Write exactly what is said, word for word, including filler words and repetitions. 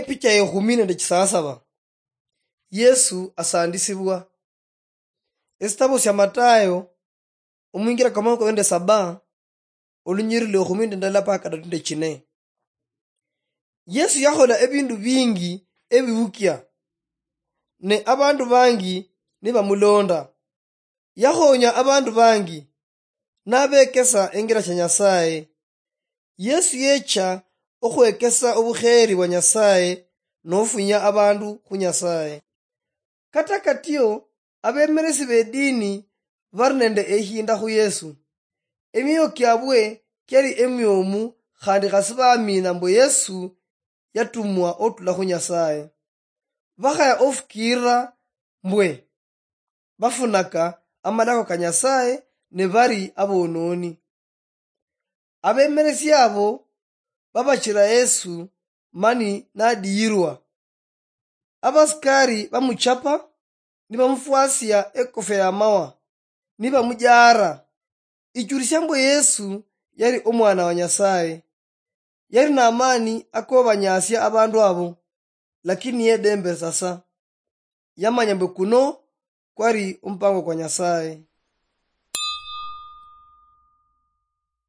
Epicha ya ekhumi nende chisasaba. Yesu asandisibwa. Esitabo sia Matayo, omwingira kwa makhumi kabili nende saba, olunyiriri lwa ekhumi nende ndala mpaka kadatu nende chine. Yesu yakhola ebindu bingi ebiwukia, ne abandu bangi nibamulonda. Yakhonya abandu bangi, nabekesa engira chia Nyasaye. Yesu yecha okhwekesa obukheri bwa Nyasaye nofunya abandu khu Nyasaye. Kata katio, abemeresi bedini bari nende ehinda khu Yesu. Emioyo kiabwe kiali emiomu, khandi khasi bamina mbu Yesu yatumwa otula khu Nyasaye. Bakhaya ofukiirira mbwe bafunaka amalako ka Nyasaye ne bari abononi. Abemeresi abo babachira Yesu mani nadiyirwa. Abasikari bamuchapa, nibamufwasia ekofia ya mawa, nibamujara. Ichulisia mbu Yesu yari omwana wa Nyasaye. Yari namani akobanyasia abandu abo, lakini yedembesa sa. Yamanya mbu kuno kwari omupango kwa Nyasaye.